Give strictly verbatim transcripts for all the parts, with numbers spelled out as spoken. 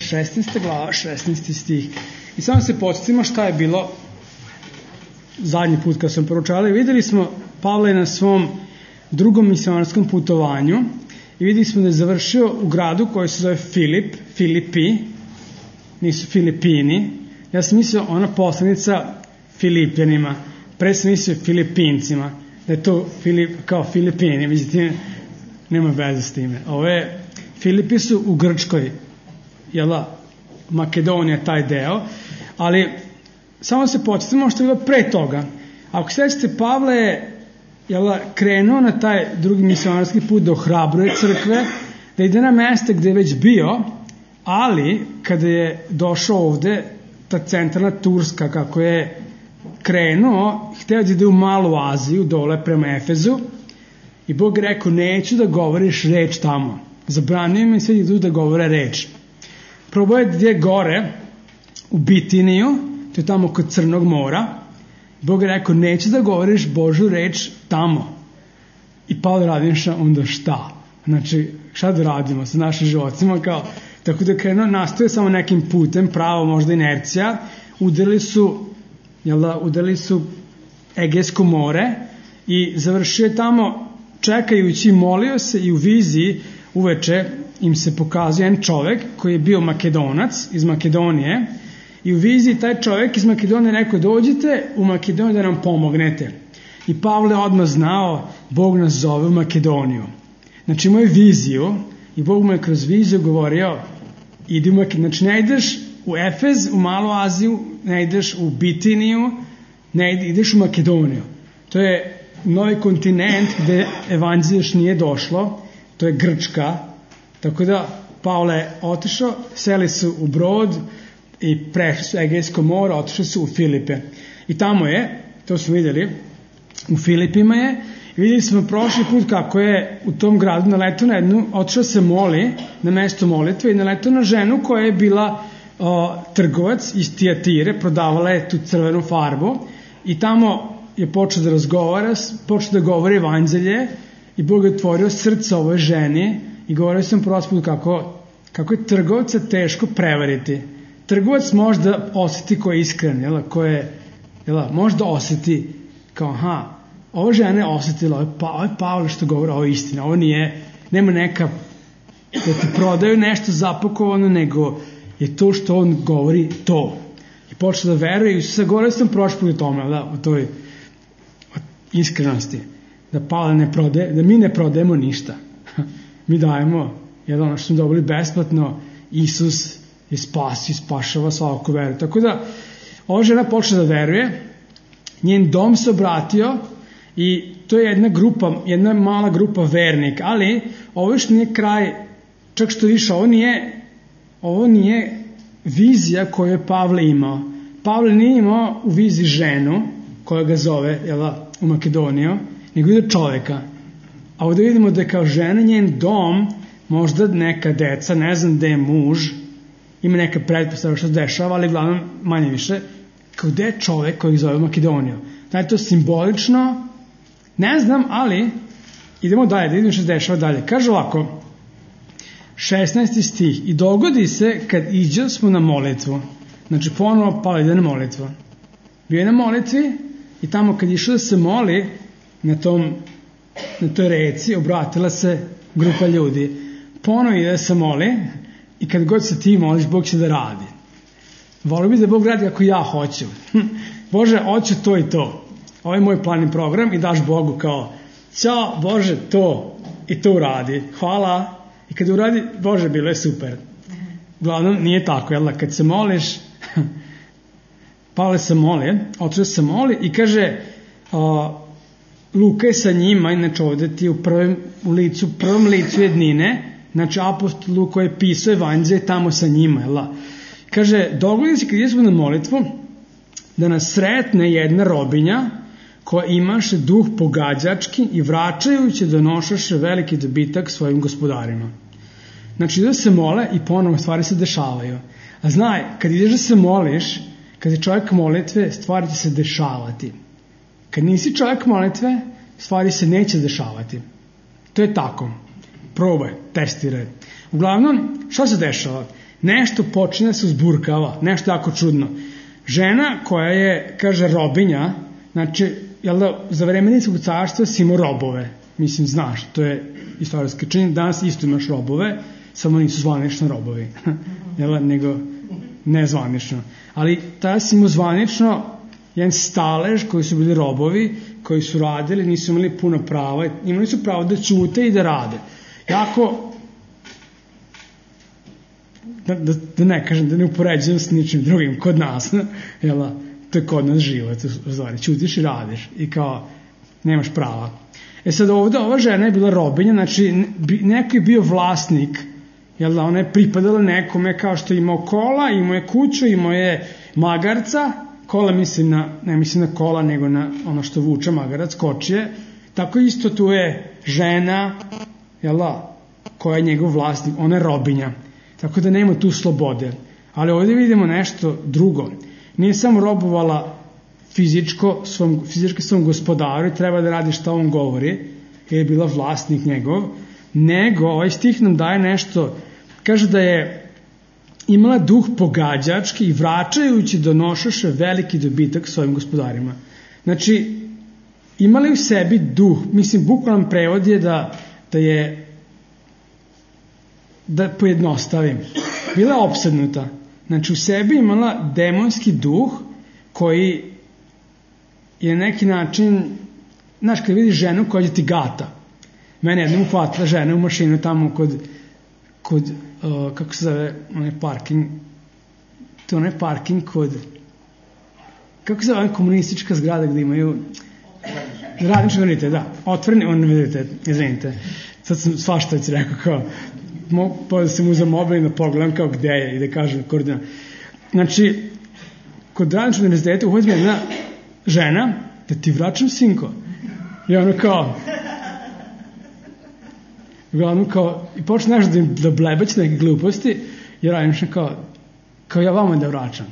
šesnaesta glava, šesnaesti stih. I samo se podsjetimo šta je bilo zadnji put kad smo proučavali. Videli smo Pavla na svom drugom misionarskom putovanju i videli smo da je završio u gradu koji se zove Filip, Filipi, nisu Filipini. Ja sam mislio ona poslanica Filipljanima, pre sam mislio Filipincima, da je to Filip, kao Filipini, međutim nema veze s time. Ove Filipi su u Grčkoj, jela, Makedonija taj deo, ali samo se podsjetimo što je bilo pre toga. Ako sećate, Pavle je jela, krenuo na taj drugi misionarski put da ohrabruje crkve, da ide na mesta gde je već bio, ali kada je došao ovde, ta centralna Turska, kako je krenuo, hteo da ide u Malu Aziju, dole prema Efezu, i Bog je rekao, neću da govoriš reč tamo. Zabranio mi sve idu da govore reč. Probao je gdje gore, u Bitiniju, to je tamo kod Crnog mora. Bog je rekao, neću da govoriš Božju reč tamo. I Pavle Radinša, onda šta? Znači, šta da radimo sa našim životima? Kao, tako da krenuo, nastoje samo nekim putem, pravo možda inercija, udarili su, jel da, udarili su Egejsko more i završio je tamo, čekajući, molio se i u viziji uveče im se pokazuje jedan čovek koji je bio Makedonac iz Makedonije i u viziji taj čovek iz Makedonije rekao, dođite u Makedoniju da nam pomognete. I Pavle odmah znao, Bog nas zove u Makedoniju. Znači imao je viziju i Bog mu je kroz viziju govorio, idi u Makedoniju. Znači ne ideš u Efez, u Malu Aziju, ne ideš u Bitiniju, ne ideš u Makedoniju. To je novi kontinent gde evanđelje još nije došlo, to je Grčka, tako da Pavle je otišao, seli su u brod i prešli su Egejsko more, otišli su u Filipe. I tamo je, to smo vidjeli, u Filipima je, i vidjeli smo prošli put kako je u tom gradu naletao na jednu, otišao se moli na mesto molitve i naletao na ženu koja je bila o, trgovac iz Tijatire, prodavala je tu crvenu farbu i tamo je počeo da razgovara, počeo da govori evanđelje i Bog je otvorio srce ovoj ženi i govorio sam prospod kako, kako je trgovca teško prevariti. Trgovac možda osjeti ko je iskren, jel, ko je, jel, možda osjeti kao, aha, ova žena je osjetila, ovo je, pa, ovo je Pavle što govori, ovo je istina, ovo nije, nema neka, da ti prodaju nešto zapakovano, nego je to što on govori to. I počeo da veruje i sve govorio sam prošli u tome, da, u toj iskrenosti, da Pavle ne prodaje, da mi ne prodajemo ništa. Mi dajemo, jedan ono što smo dobili besplatno, Isus je spasio, spašava svaku veru. Tako da, ova žena počela da veruje, njen dom se obratio i to je jedna grupa, jedna mala grupa vernika, ali ovo još nije kraj, čak što više, ovo nije, ovo nije vizija koju je Pavle imao. Pavle nije imao u viziji ženu koja ga zove, jel, u Makedoniju, nego ide čoveka. A ovdje vidimo da je kao žena, njen dom, možda neka deca, ne znam gde je muž, ima neka pretpostavka što se dešava, ali glavno manje više, kao gde je čovek koji zove Makedoniju. Da je to simbolično, ne znam, ali idemo dalje, da vidimo što se dešava dalje. Kaže ovako, šesnaesti stih, i dogodi se kad iđe smo na molitvu. Znači ponovo Pavle ide na molitvu. Bio je na molitvi i tamo kad išao da se moli na tom, na toj reci, obratila se grupa ljudi. Ponovo ide da se moli i kad god se ti moliš, Bog će da radi. Volio bi da Bog radi kako ja hoću. Bože, hoću to i to. Ovo je moj plan i program i daš Bogu kao, ćao, Bože, to i to uradi. Hvala. I kad uradi, Bože, bilo je super. Uglavnom, nije tako, jel da, kad se moliš, Pavle se moli, otišao se moli i kaže, a, Luka je sa njima, inače ovdje ti u prvom u licu, prvom licu jednine, znači apostol Luka je pisao evanđelje tamo sa njima, jel da. Kaže, dogodi se kad jesmo na molitvu, da nas sretne jedna robinja koja imaše duh pogađački i vraćajući donošaše veliki dobitak svojim gospodarima. Znači da se mole i ponovo stvari se dešavaju. A znaj, kad ideš da se moliš, kad je čovjek molitve, stvari će se dešavati. Kad nisi čovjek molitve, stvari se neće dešavati. To je tako. Probaj, testiraj. Uglavnom, šta se dešava? nešto počne da se uzburkava, nešto jako čudno. Žena koja je, kaže, robinja, znači, jel da, za vreme Rimskog carstva si imao robove, mislim, znaš, to je istorijski čin, danas isto imaš robove, samo nisu zvanično robovi, jel, nego nezvanično. Ali tada si imao zvanično jedan stalež koji su bili robovi, koji su radili, nisu imali puno prava, imali su pravo da ćute i da rade. Jako, da, da, da ne kažem, da ne upoređujem s ničim drugim kod nas, jel, to je kod nas život, u stvari, ćutiš i radiš i kao, nemaš prava. E sad ovde, ova žena je bila robinja, znači neko je bio vlasnik, jel da, ona je pripadala nekome kao što je imao kola, imao je kuću, imao je magarca, kola mislim na, ne mislim na kola, nego na ono što vuče magarac, kočije, tako isto tu je žena, jel da, koja je njegov vlasnik, ona je robinja, tako da nema tu slobode. Ali ovdje vidimo nešto drugo. Nije samo robovala fizičko svom, fizički svom gospodaru i treba da radi šta on govori, jer je bila vlasnik njegov, nego ovaj stih nam daje nešto, kaže da je imala duh pogađački i vraćajući donošaše veliki dobitak svojim gospodarima. Znači, imali u sebi duh, mislim, bukvalan prevod je da, da je, da pojednostavim, bila je opsednuta. Znači, u sebi imala demonski duh koji je neki način, znaš, kada vidiš ženu koja ti gata. Mene jednom uhvatila žena u mašinu tamo kod, kod uh, kako se zove, onaj parking, to onaj parking kod, kako se zove komunistička zgrada gde imaju radnički univerzitet, da, otvoreni univerzitet, izvinite, sad sam svašta već rekao, kao, mo, pa da sam uzeo mobil i da pogledam kao gde je i da kažem koordinat. Znači, kod radničkog univerziteta uhodzi me jedna žena, da ti vraćam, sinko. I ono kao, uglavnom kao, i počne nešto da, da blebeć neke gluposti, jer radim što kao, kao ja vama da vraćam.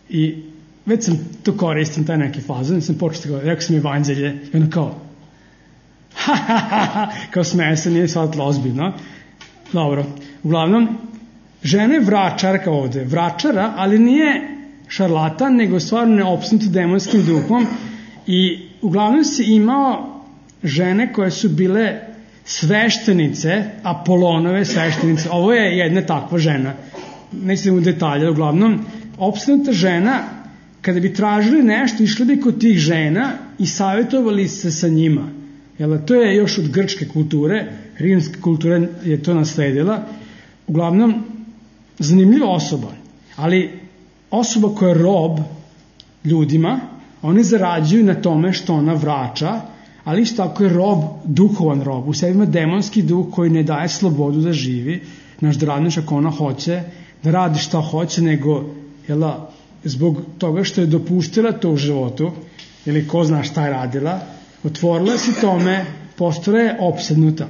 I već sam to koristim, taj neki fazon, sam počeo kao, rekao sam evanđelje, i ono kao, ha, ha, ha, ha, kao smeje se, nije shvatila ozbiljno. Dobro, uglavnom, žena je vračarka ovde, vračara, ali nije šarlatan, nego stvarno neopsnut demonskim duhom i uglavnom si imao žene koje su bile sveštenice, Apolonove sveštenice. Ovo je jedna takva žena, nećete u detalje, uglavnom, opsnuta žena, kada bi tražili nešto, išli bi kod tih žena i savjetovali se sa njima. Jel, to je još od grčke kulture, rimska kultura je to nasledila. Uglavnom, zanimljiva osoba, ali osoba koja je rob ljudima, oni zarađuju na tome što ona vraća, ali isto tako je rob, duhovan rob. U sebi ima demonski duh koji ne daje slobodu da živi, znaš, da radiš ako ona hoće, da radi šta hoće, nego jela, zbog toga što je dopuštila to u životu, ili ko zna šta je radila, otvorila si tome, postala je opsednuta.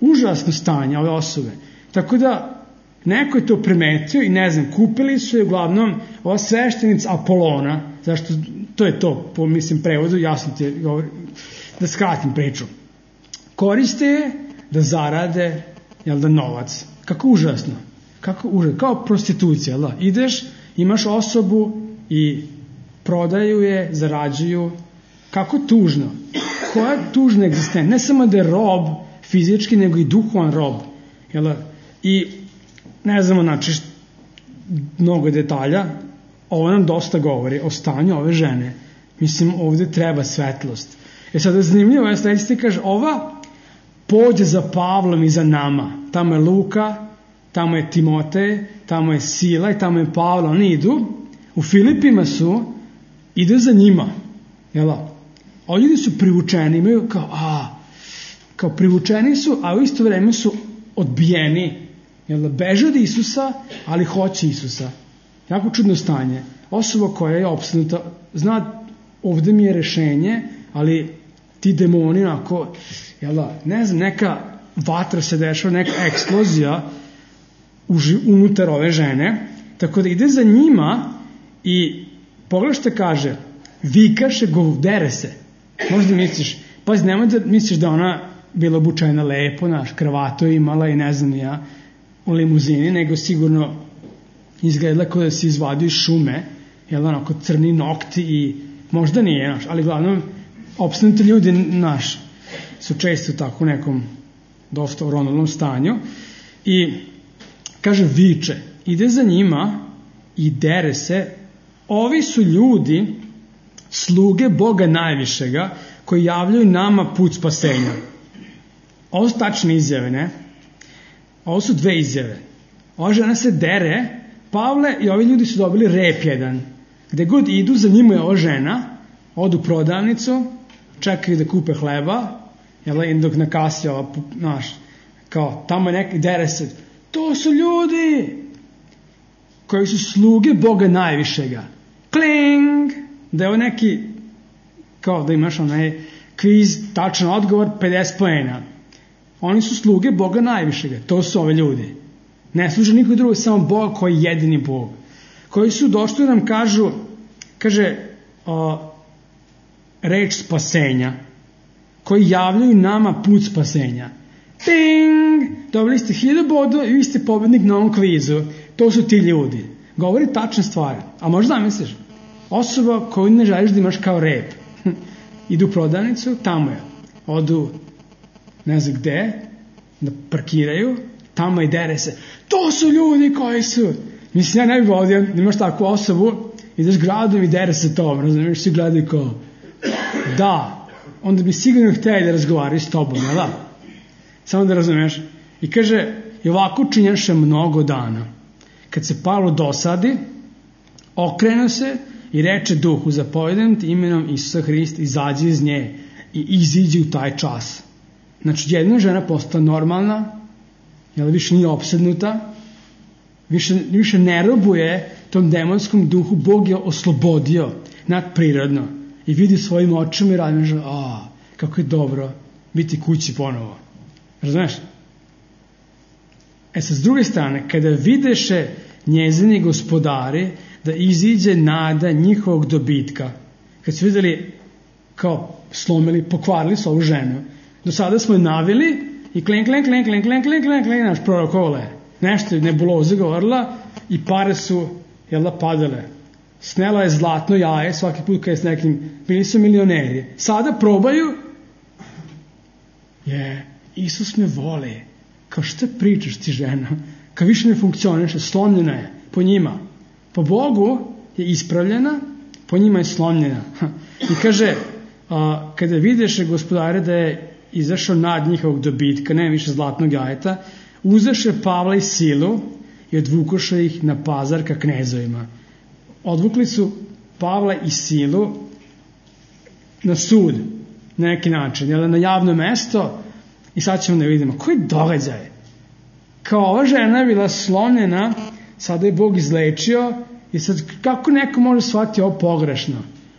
Užasno stanje ove osobe. Tako da neko je to primetio i ne znam, kupili su je uglavnom ova sveštenica Apolona, zašto to je to, po mislim prevodu, jasno ti je, da skratim priču. Koriste je da zarade, jel da, novac. Kako užasno. Kako užasno. Kao prostitucija, jel da? Ideš, imaš osobu i prodaju je, zarađuju. Kako tužno. Koja je tužna egzistencija. Ne samo da je rob fizički, nego i duhovan rob. Jel da? I ne znamo, znači, mnogo detalja, ovo nam dosta govori o stanju ove žene. Mislim, ovde treba svetlost. E sada zanimljivo je, sledeći ti kaže, ova pođe za Pavlom i za nama. Tamo je Luka, tamo je Timotej, tamo je Sila i tamo je Pavlo. Oni idu, u Filipima su, ide za njima. Jela? Ovi ljudi su privučeni, imaju kao, a, kao privučeni su, a u isto vreme su odbijeni. Jel da, beže od Isusa, ali hoće Isusa. Jako čudno stanje. Osoba koja je opsednuta, zna, ovde mi je rešenje, ali ti demoni, onako, jel da, ne znam, neka vatra se dešava, neka eksplozija unutar ove žene, tako da ide za njima i pogledaj što kaže, vikaše, govdere se. Možda misliš, pazi, nemoj da misliš da ona bila obučena lepo, naš, kravatu je imala i ne znam ja, u limuzini, nego sigurno izgledala kao da se izvadio iz šume, jel, onako crni nokti i možda nije, naš, ali glavnom opstanuti ljudi naš su često tako u nekom dosta uronulnom stanju i kaže viče, ide za njima i dere se, ovi su ljudi sluge Boga najvišega koji javljaju nama put spasenja. Ovo su tačne izjave, ne? Ovo su dve izjave. Ova žena se dere, Pavle i ovi ljudi su dobili rep jedan. Gde god idu, za njima je ova žena, odu u prodavnicu, čekaju da kupe hleba, jel, dok na kasi ova, naš, kao, tamo je neki, dere se, to su ljudi koji su sluge Boga najvišega. Kling! Da je ovo neki, kao da imaš onaj kviz, tačan odgovor, pedeset poena. Oni su sluge Boga najvišega. To su ove ljudi. Ne služe niko drugo, samo Bog koji je jedini Bog. Koji su došli da nam kažu, kaže, o, reč spasenja. Koji javljaju nama put spasenja. Ting! Dobili ste hiljadu bodova i vi ste pobednik na ovom kvizu. To su ti ljudi. Govori tačne stvari. A možda misliš, osoba koju ne želiš da imaš kao rep. Idu u prodavnicu, tamo je. Odu ne znam gde, da parkiraju, tamo i dere se. To su ljudi koji su. Mislim, ja ne bih vodio, imaš takvu osobu, ideš gradom i dere se tom, razumiješ, svi gledaju kao, da, onda bi sigurno htjeli da razgovaraju s tobom, jel da? Samo da razumiješ. I kaže, i ovako činjaše mnogo dana. Kad se Pavlo dosadi, okrenu se i reče duhu, zapovedam ti imenom Isusa Hrista, izađi iz nje i iziđi u taj čas. Znači, jedna žena postala normalna, jel, više nije opsednuta, više, više ne robuje tom demonskom duhu, Bog je oslobodio nadprirodno i vidi svojim očima i radi, a, kako je dobro biti kući ponovo. Razumeš? E sad, s druge strane, kada videše njezini gospodari da iziđe nada njihovog dobitka, kad su vidjeli kao slomili, pokvarili su ovu ženu, do sada smo je navili i klen, klen, klen, klen, klen, klen, klen, klen, naš prorokovale. Nešto je nebuloza govorila i pare su, jel da, padale. Snela je zlatno jaje svaki put kad je s nekim, bili su milioneri. Sada probaju, je, Isus me voli. Kao šta pričaš ti žena? Kao više ne funkcioniše, slomljena je po njima. Po Bogu je ispravljena, po njima je slomljena. I kaže, a, kada videše gospodare da je izašao nad njihovog dobitka, ne više zlatnog jajeta, uzeše Pavla i Silu i odvukoše ih na pazar ka knezovima. Odvukli su Pavla i Silu na sud, na neki način, jel, na javno mesto, i sad ćemo da vidimo koji događaj. Kao ova žena je bila slomljena, sada je Bog izlečio i sad kako neko može shvatiti ovo pogrešno?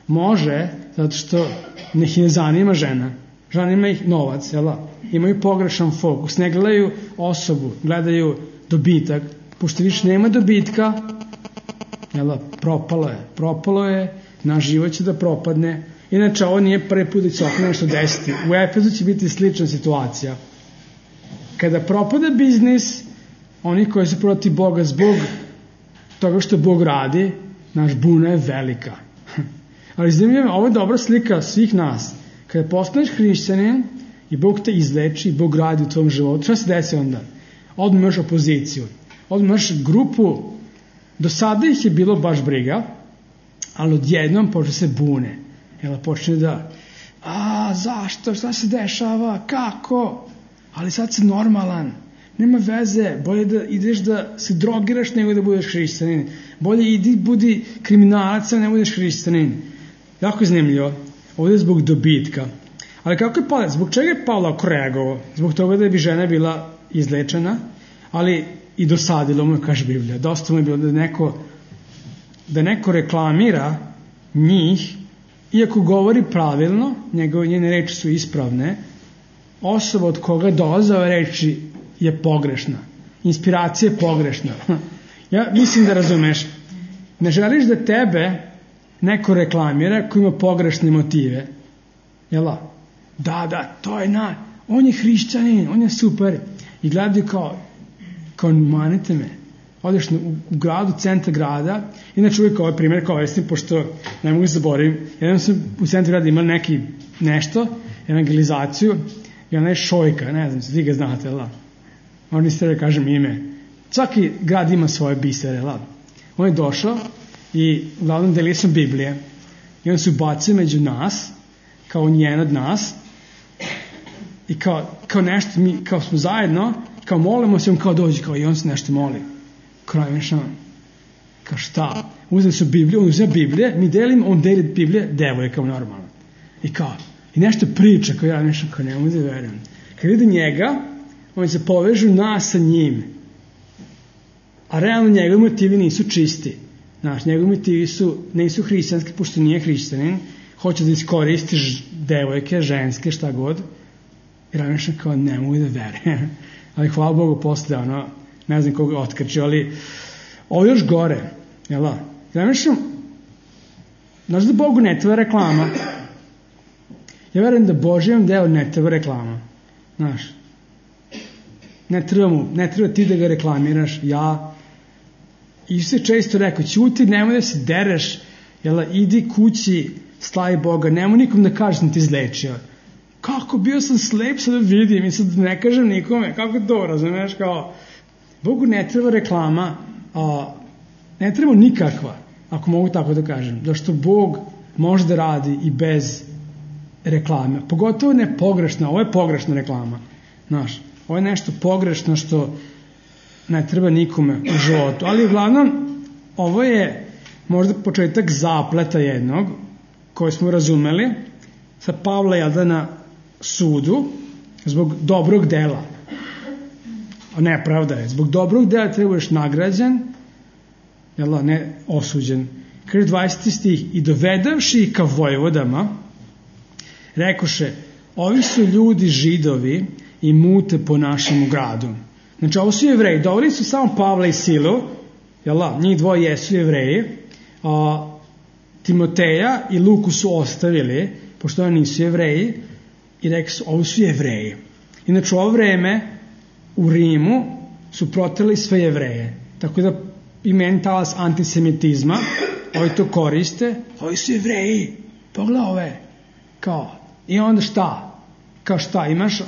Može, zato što ih ne zanima žena. Zanima ih novac, jel? Imaju pogrešan fokus, ne gledaju osobu, gledaju dobitak. Pošto više nema dobitka, jel, propalo je, propalo je, naš život će da propadne. Inače, ovo nije prvi put da će oko nešto desiti. U Efezu će biti slična situacija. Kada propada biznis, oni koji su protiv Boga zbog toga što Bog radi, naš buna je velika. Ali zanimljivo, ovo je dobra slika svih nas. Kada postaneš hrišćanin i Bog te izleči i Bog radi u tvom životu, šta se desi onda? Odmah imaš opoziciju. Odmah imaš grupu, do sada ih je bilo baš briga, ali odjednom počne se bune. Jel, počne da, a zašto, šta se dešava, kako? Ali sad si normalan, nema veze, bolje da ideš da se drogiraš nego da budeš hrišćanin. Bolje idi, budi kriminalac, ne budeš hrišćanin. Jako je zanimljivo. Ovdje je zbog dobitka. Ali kako je Pavle, zbog čega je Pavle reagovao? Zbog toga da bi žena bila izlečena, ali i dosadilo mu, kaže Biblija. Dosta mu je bilo da neko, da neko reklamira njih, iako govori pravilno, njegove njene reči su ispravne, osoba od koga dolaze ove reči je pogrešna. Inspiracija je pogrešna. Ja mislim da razumeš. Ne želiš da tebe neko reklamira ko ima pogrešne motive. Jel' da, da, to je na, on je hrišćanin, on je super. I gledaju kao, kao manite me. Odeš u, u gradu, centar grada, inače uvijek ovaj primjer koristim, pošto ne mogu zaboravim, jedan sam u centru grada imali neki nešto, evangelizaciju, i ona je Šojka, ne znam, svi ga znate, la. Možda niste da kažem ime. Svaki grad ima svoje bisere, la. On je došao i uglavnom delio sam Biblije i on se ubacio među nas, kao njen od nas, i kao, kao nešto, mi kao smo zajedno, kao molimo se, on kao dođe, kao i on se nešto moli. Kraj nešto, kao šta? Uzeli su Bibliju, on uzeo Biblije, mi delimo, on deli Biblije, devojka kao normalno. I kao, i nešto priča, kao ja nešto, kao ne mogu da verujem. Kad vidi njega, oni se povežu nas sa njim. A realno njegovi motivi nisu čisti. Znaš, njegovi motivi su, nisu hrišćanski, pošto nije hrišćanin, hoće da iskoristi ž, devojke, ženske, šta god. I razmišljam kao ne mogu da verujem. Ali hvala Bogu posle, ono, ne znam koga otkrčio, ali ovo još gore, jel da? Razmišljam, znaš da Bogu ne treba reklama? Ja verujem da Božijem deo ne treba reklama. Znaš, ne treba mu, ne treba ti da ga reklamiraš, ja. I se često rekao, ćuti, nemoj da se dereš, jel da, idi kući, slavi Boga, nemoj nikom da kažeš da ti izlečio. Kako, bio sam slep, sad da vidim i sad ne kažem nikome, kako to, razumiješ, kao, Bogu ne treba reklama, a, ne treba nikakva, ako mogu tako da kažem, zašto Bog može da radi i bez reklame, pogotovo ne pogrešna, ovo je pogrešna reklama, znaš, ovo je nešto pogrešno što ne treba nikome u životu, ali uglavnom, ovo je možda početak zapleta jednog, koji smo razumeli, sa Pavla jada na sudu, zbog dobrog dela. Nepravda je. Zbog dobrog dela trebaš nagrađen, jel, ne osuđen. Kaže dvadeseti stih, i dovedavši ih ka vojvodama, rekoše, ovi su ljudi Židovi i mute po našemu gradu. Znači, ovo su Jevreji. Doveli su samo Pavla i Silu, jel, njih dvoje jesu Jevreji, a Timoteja i Luku su ostavili, pošto oni nisu Jevreji, i rekli su, ovo su Jevreji. Inače, u ovo vreme u Rimu su proterali sve Jevreje. Tako da i meni talas antisemitizma, ovi to koriste, ovi su Jevreji, pogledaj ove. Kao, i onda šta? Kao šta? Imaš,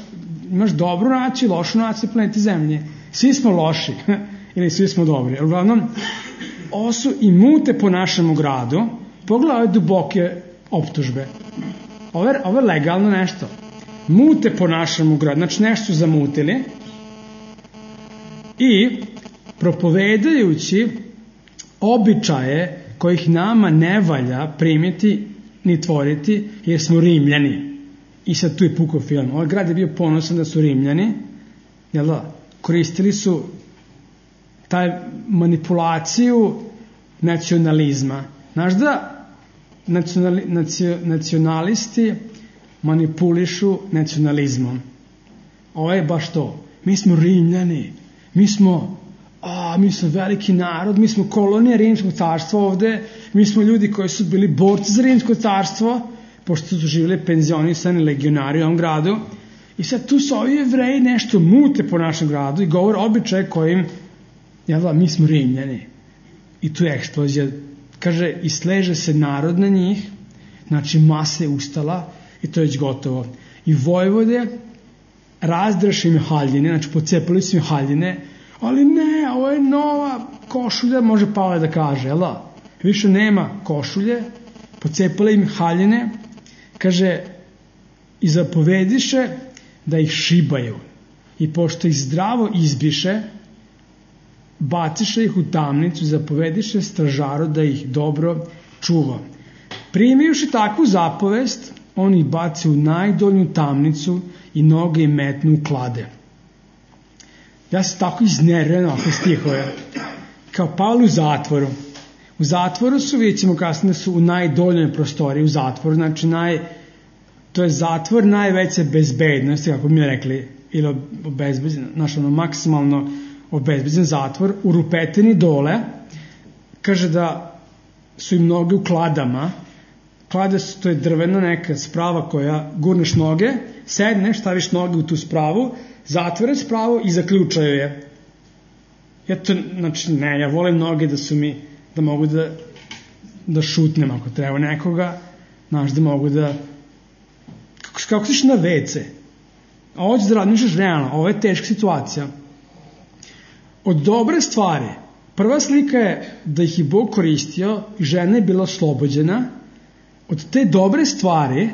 imaš dobru naciju, lošu naciju na planeti Zemlje. Svi smo loši, ili svi smo dobri. Uglavnom, ovo su i mute po našemu gradu, pogledaj ove duboke optužbe. Ovo je, ovo je legalno nešto. Mute po našemu gradu, znači nešto su zamutili i propovedajući običaje kojih nama ne valja primiti ni tvoriti, jer smo Rimljani. I sad tu je pukao film. Ovaj grad je bio ponosan da su Rimljani, jel da, koristili su taj manipulaciju nacionalizma. Znaš da nacionali, nacio, nacionalisti manipulišu nacionalizmom. Ovo je baš to. Mi smo Rimljani, mi smo, a, mi smo veliki narod, mi smo kolonija Rimskog carstva ovde, mi smo ljudi koji su bili borci za Rimsko carstvo, pošto su živjeli penzionisani legionari u ovom gradu. I sad tu su ovi Jevreji nešto mute po našem gradu i govore običaje kojim, jel da, mi smo Rimljani. I tu je eksplozija. Kaže, i sleže se narod na njih, znači masa je ustala i to je već gotovo. I vojvode razdraše im haljine, znači pocepali su im haljine, ali ne, ovo je nova košulja, može Pavle da kaže, jel da? Više nema košulje, pocepali im haljine, kaže, i zapovediše da ih šibaju. I pošto ih zdravo izbiše, baciše ih u tamnicu, zapovediše stražaru da ih dobro čuva. Primivši takvu zapovest, on ih baci u najdolju tamnicu i noge im metnu u klade. Ja sam tako iznerven oko stihove. Kao Pavle u zatvoru. U zatvoru su, vidjet ćemo kasnije, su u najdoljoj prostoriji u zatvoru, znači naj, to je zatvor najveće bezbednosti, kako bi mi rekli, ili obezbeđen, znači ono maksimalno obezbeđen zatvor, u rupetini dole, kaže da su im noge u kladama, klade su, to je drvena neka sprava koja gurneš noge, sedneš, staviš noge u tu spravu, zatvore spravu i zaključaju je. Ja to, znači, ne, ja volim noge da su mi, da mogu da, da šutnem ako treba nekoga, znaš, da mogu da, kako, kako siš na vece, a ovo ćeš da radniš realno, ovo je teška situacija. Od dobre stvari, prva slika je da ih je Bog koristio i žena je bila oslobođena. Od te dobre stvari,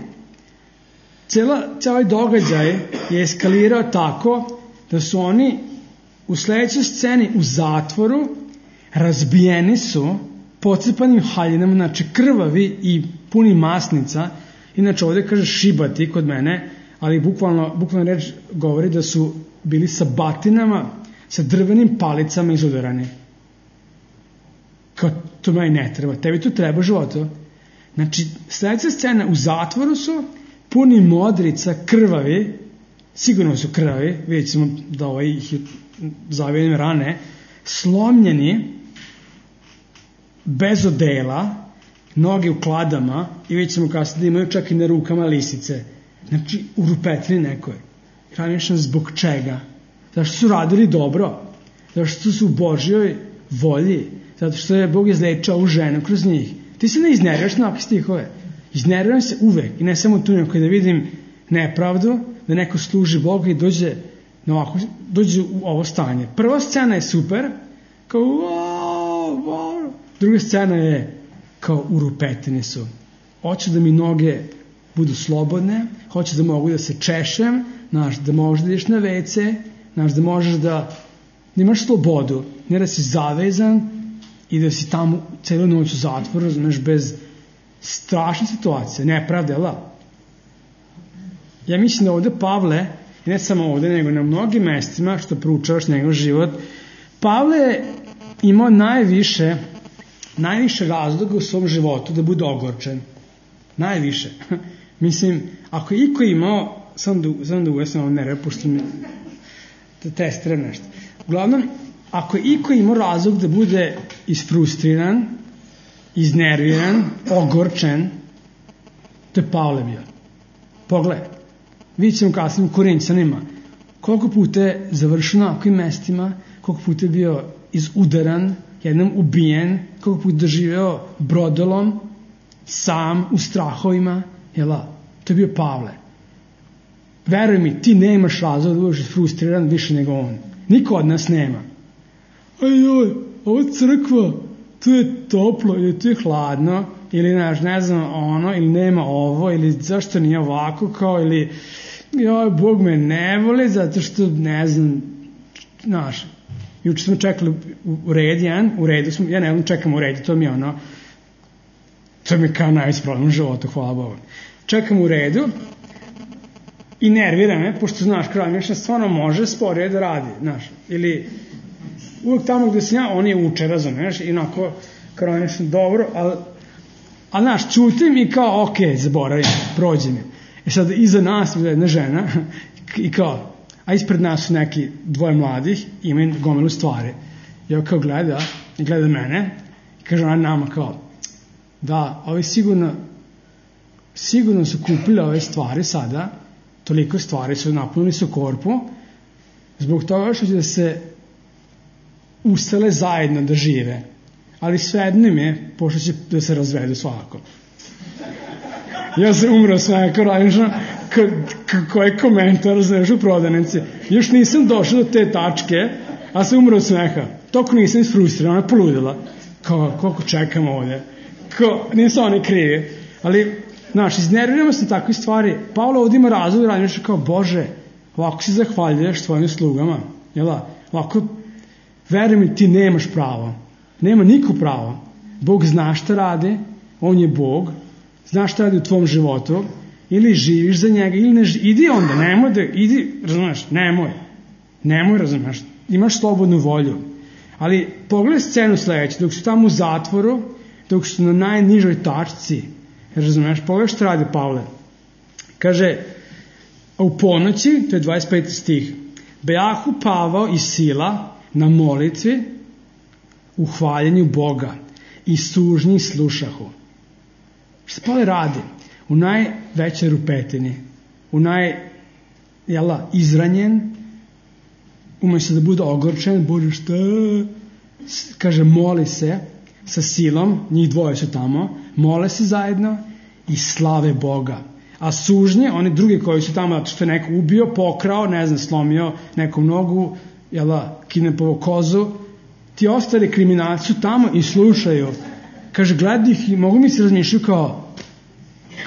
cela, cela događaj je eskalirao tako da su oni u sledećoj sceni u zatvoru, razbijeni su, pocepanim haljinama, znači krvavi i puni masnica, inače ovde kaže šibati kod mene, ali bukvalno, bukvalno reč govori da su bili sa batinama, sa drvenim palicama izudarani. Kao, to meni ne treba, tebi to treba životu. Znači, sledeća scena, u zatvoru su, puni modrica, krvavi, sigurno su krvavi, vidjet ćemo da ovaj ih je zavijenim rane, slomljeni, bez odela, noge u kladama i vidjet ćemo kasnije da imaju čak i na rukama lisice. Znači, u rupetini nekoj. Hranično zbog čega? Zato što su radili dobro, zato što su u Božjoj volji, zato što je Bog izlečao ovu ženu kroz njih. Ti se ne iznerviraš na ovakve stihove. Iznerviram se uvek i ne samo tu neko da vidim nepravdu, da neko služi Boga i dođe, na ovako, dođe u ovo stanje. Prva scena je super, kao wow, wow. Druga scena je kao u rupetini su. Hoću da mi noge budu slobodne, hoću da mogu da se češem, znaš, da možeš da ideš na vece, znaš, da možeš da, da imaš slobodu, ne da si zavezan i da si tamo celu noć u zatvoru, razumeš, bez strašne situacije, nepravde, ali? Ja mislim da ovde Pavle, i ne samo ovde, nego na mnogim mestima što proučavaš njegov život, Pavle je imao najviše, najviše razloga u svom životu da bude ogorčen. Najviše. Mislim, ako je iko imao, sam da, sam da uvesam ovo nerve, pošto mi da testiram nešto. Uglavnom, ako je iko imao razlog da bude isfrustriran, iznerviran, ogorčen, to je Pavle bio. Pogledaj, vidjet ćemo kasnije u Korinćanima koliko puta je završeno na ovakvim mestima, koliko puta je bio izudaran, jednom ubijen, koliko puta doživeo brodolom, sam, u strahovima, jela, to je bio Pavle. Veruj mi, ti nemaš razlog da budeš frustriran više nego on. Niko od nas nema. Ajoj, ovo crkva, tu je toplo ili tu je hladno, ili ne, ne znam ono, ili nema ovo, ili zašto nije ovako, kao, ili joj, Bog me ne voli, zato što, ne znam, znaš, juče smo čekali u red jedan, u redu smo, ja ne znam, čekam u redu, to mi je ono, to mi je kao najveći problem u životu, hvala Bogu. Čekam u redu i nervira me, pošto, znaš, kralj stvarno može sporije da radi, znaš, ili uvijek tamo gde sam ja, on je uče, razumeš, i onako, kralj nešto dobro, ali, ali, znaš, čutim i kao, ok, zaboravim, prođe mi. I sad, iza nas je jedna žena i kao, a ispred nas su neki dvoje mladih, imaju gomilu stvari. I ovo kao gleda, i gleda mene, i kaže ona nama kao, da, ovi sigurno, sigurno su kupili ove stvari sada, toliko stvari su napunili su korpu, zbog toga što će da se usele zajedno da žive. Ali svejedno im je, pošto će da se razvedu svakako. Ja se umro sve, kao radišno, kako je komentar, znaš, u prodavnici. Još nisam došao do te tačke, a se umro smeha. Toko nisam isfrustriran, ona je poludila. Kao, koliko čekam ovde. Kao, nisu oni krivi. Ali, znaš, iznerviramo se na takve stvari. Pavle ovdje ima razlog da radiš kao, Bože, ovako si zahvaljuješ svojim slugama. Jela, ovako, veruj mi, ti nemaš pravo. Nema niko pravo. Bog zna šta radi, on je Bog, zna šta radi u tvom životu, ili živiš za njega, ili ne živiš. Idi onda, nemoj da, idi, razumeš, nemoj. Nemoj, razumeš, imaš slobodnu volju. Ali pogledaj scenu sledeću, dok su tamo u zatvoru, dok su na najnižoj tačci, razumeš, pogledaj šta radi Pavle. Kaže, a u ponoći, to je dvadeset peti stih, bejahu Pavao i Sila na molitvi, u hvaljenju Boga i sužnji slušahu. Šta Pavle radi? U najvećoj rupetini, u naj, jela, izranjen, umjesto da bude ogorčen, Bože šta, kaže moli se sa silom, njih dvoje su tamo, mole se zajedno i slave Boga. A sužnje, oni drugi koji su tamo, što je neko ubio, pokrao, ne znam, slomio nekom nogu, jela, kidnapovo kozu, ti ostali kriminalci su tamo i slušaju. Kaže, gledaj ih i mogu mi se razmišljati kao,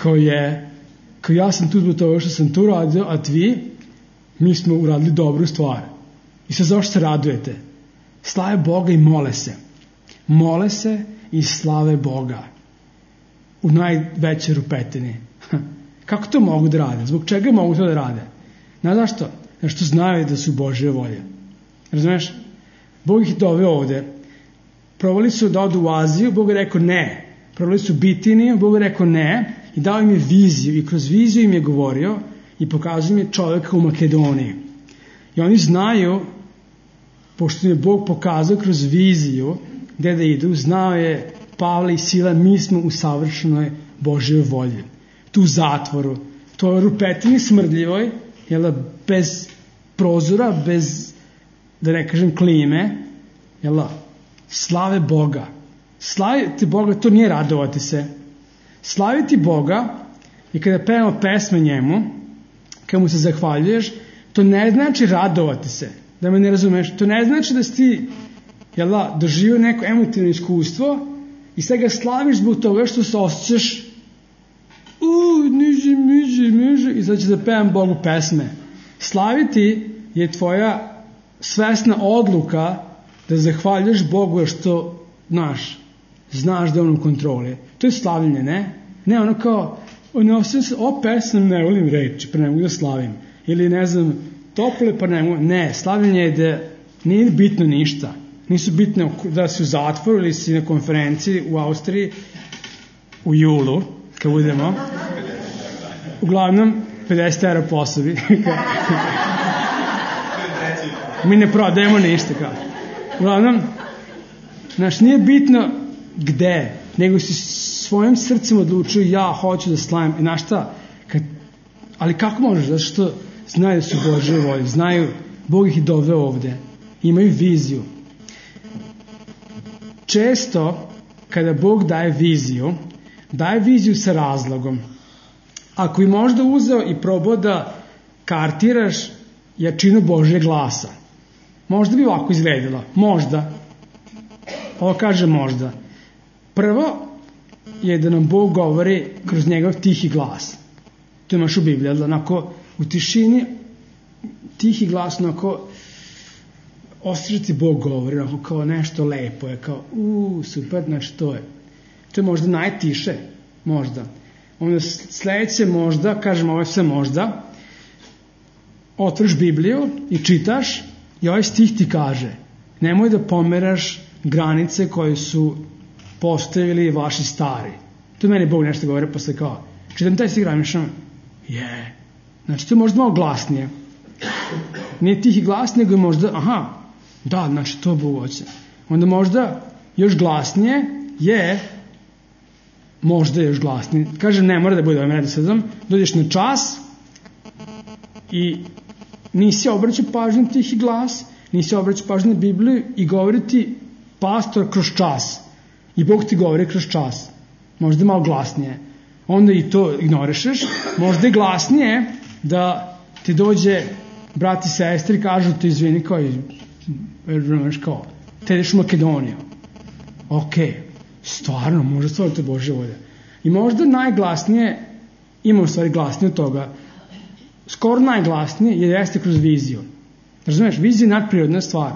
kao je, kao ja sam tu zbog toga što sam tu radio, a vi, mi smo uradili dobru stvar. I sad zašto se radujete? Slave Boga i mole se. Mole se i slave Boga. U najvećoj rupetini. Kako to mogu da rade? Zbog čega mogu to da rade? Znaš zašto? Znaš što znaju da su Božje volje. Razumeš? Bog ih doveo ovde. Probali su da odu u Aziju, Bog je rekao ne. Probali su Bitiniju, Bog je rekao ne. I dao im je viziju. I kroz viziju im je govorio i pokazao im je čovjeka u Makedoniji. I oni znaju, pošto im je Bog pokazao kroz viziju gde da idu, znao je Pavle i Sila, mi smo u savršenoj Božjoj volji. Tu u zatvoru, to je rupetini smrdljivoj, jel, bez prozora, bez, da ne kažem, klime, jel, slave Boga. Slaviti Boga, to nije radovati se. Slaviti Boga i kada pevamo pesme njemu, kada mu se zahvaljuješ, to ne znači radovati se, da me ne razumeš, to ne znači da si ti, jel, doživio neko emotivno iskustvo i sad ga slaviš zbog toga što se osjećaš uuu, niže, miže, miže, i sad će da pevam Bogu pesme. Slaviti je tvoja svesna odluka da zahvaljaš Bogu što, znaš, znaš da je on u kontroli. To je slavljenje, ne? Ne, ono kao, ono se, o pesam ne volim reći, pa ne mogu da slavim. Ili, ne znam, tople, pa ne mogu. Ne, slavljenje je da nije bitno ništa. Nisu bitne da si u zatvoru ili si na konferenciji u Austriji u julu, kad budemo. Uglavnom, pedeset eura po osobi. Mi ne prodajemo ništa. Kao. Uglavnom, znaš, nije bitno gde, nego si svojim srcem odlučio ja hoću da slavim. I znaš šta, kad, ali kako možeš? Zato što znaju da su Božje volje, znaju, Bog ih je doveo ovde, imaju viziju. Često, kada Bog daje viziju, daje viziju sa razlogom. Ako bi možda uzeo i probao da kartiraš jačinu Božjeg glasa, možda bi ovako izgledalo. Možda. Ovo kaže možda. Prvo je da nam Bog govori kroz njegov tihi glas. To imaš u Bibliji. Onako, u tišini tihi glas, onako osjećati Bog govori, onako kao nešto lepo je, kao uuu, super, znači to je. To je možda najtiše, možda. Onda sledeće možda, kažem ovo je sve možda, otvoriš Bibliju i čitaš i ovaj stih ti kaže, nemoj da pomeraš granice koje su postavili vaši stari. To meni Bog nešto govori, posle kao, čitam taj stih graničan, je, yeah. Znači to je možda malo glasnije. Nije tihi glas, nego je možda, aha, da, znači to Bog hoće. Onda možda još glasnije je, možda još glasnije. Kaže, ne mora da bude ovim redosledom, dođeš na čas i nisi obraćao pažnju tihi glas, nisi obraćao pažnju na Bibliju i govori ti pastor kroz čas. I Bog ti govori kroz čas. Možda malo glasnije. Onda i to ignorišeš. Možda je glasnije da ti dođe brat i sestri i kažu ti izvini kao, kao te ideš u Makedoniju. Ok, stvarno, možda stvarno to je Božja volja. I možda najglasnije, ima u stvari glasnije od toga, skoro najglasnije je jeste kroz viziju. Razumeš, vizija je nadprirodna stvar.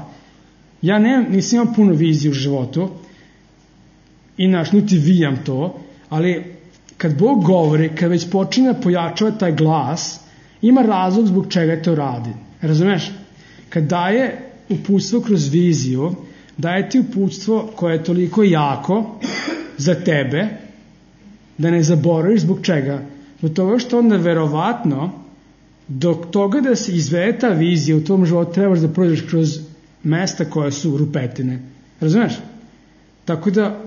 Ja ne, nisam imao puno vizije u životu i naš, niti vijam to, ali kad Bog govori, kad već počinje da pojačava taj glas, ima razlog zbog čega to radi. Razumeš? Kad daje uputstvo kroz viziju, daje ti uputstvo koje je toliko jako za tebe, da ne zaboraviš zbog čega. Zbog toga što onda verovatno do toga da se izvede ta vizija u tom životu trebaš da prođeš kroz mesta koja su rupetine. Razumeš? Tako da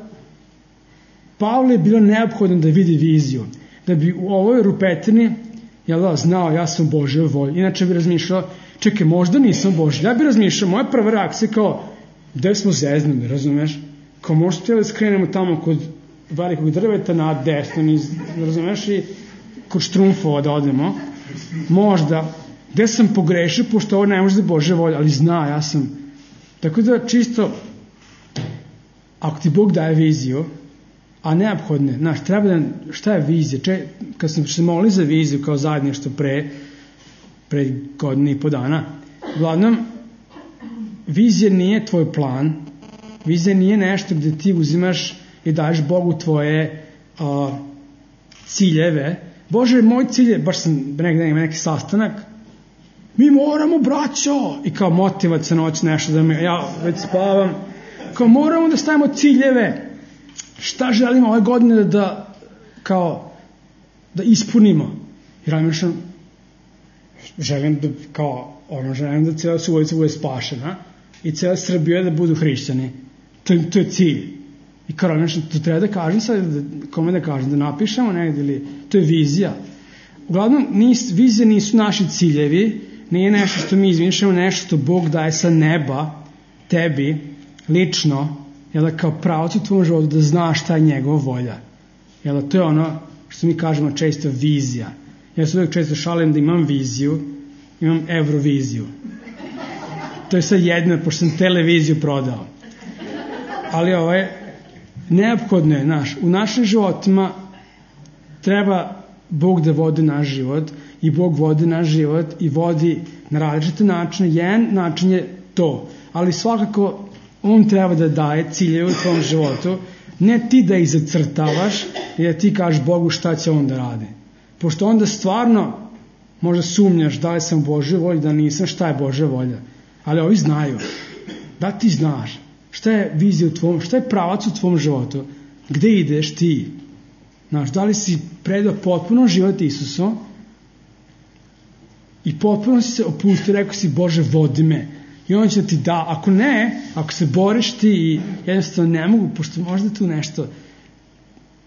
Pavle je bilo neophodno da vidi viziju. Da bi u ovoj rupetini jel da, znao ja sam Božjoj volji. Inače bi razmišljao čekaj, možda nisam Božji. Ja bih razmišljao, moja prva reakcija kao, gde smo zeznuli, razumeš? Kao možda htjeli skrenemo tamo kod velikog drveta na desno, niz, razumeš, i kod Štrumfova da odemo. Možda, gde sam pogrešio, pošto ovo ne može da je Božja volja, ali zna, ja sam. Tako da čisto, ako ti Bog daje viziju, a neophodne, znaš, treba da, šta je vizija? Če, kad sam se molili za viziju kao zajedništvo pre, pre godine i po dana, uglavnom, vizija nije tvoj plan, vizija nije nešto gde ti uzimaš i daješ Bogu tvoje uh, ciljeve. Bože, moj cilj je, baš sam negdje ima neki sastanak, mi moramo, braćo, i kao motivacija noć nešto da me, ja već spavam, kao moramo da stavimo ciljeve, šta želimo ove godine da, da kao, da ispunimo. Jer ja mišljam, želim da, kao, ono, želim da cijela Subotica bude spašena i cijela Srbija da budu hrišćani. To, to je cilj. I kao, mišljam, to treba da kažem sad, da, kome da kažem, da napišemo negdje, ili, to je vizija. Uglavnom, nis, vizije nisu naši ciljevi, nije nešto što mi izmišljamo, nešto što Bog daje sa neba, tebi, lično, jel da kao pravac u tvojom životu da znaš šta je njegova volja. Jel da to je ono što mi kažemo često vizija. Ja se uvijek često šalim da imam viziju, imam Euroviziju. To je sad jedno, pošto sam televiziju prodao. Ali ovo je neophodno je, znaš, u našim životima treba Bog da vodi naš život i Bog vodi naš život i vodi na različite načine. Jedan način je to, ali svakako on treba da daje ciljeve u tvom životu, ne ti da ih zacrtavaš i da ti kažeš Bogu šta će on da radi. Pošto onda stvarno možda sumnjaš da li sam u Božoj volji, da nisam, šta je Božja volja. Ali ovi znaju. Da ti znaš šta je vizija u tvom, šta je pravac u tvom životu, gde ideš ti. Znaš, da li si predao potpuno život Isusu i potpuno si se opustio, rekao si Bože vodi me. I on će ti da, ako ne, ako se boriš ti i jednostavno ne mogu, pošto možda tu nešto,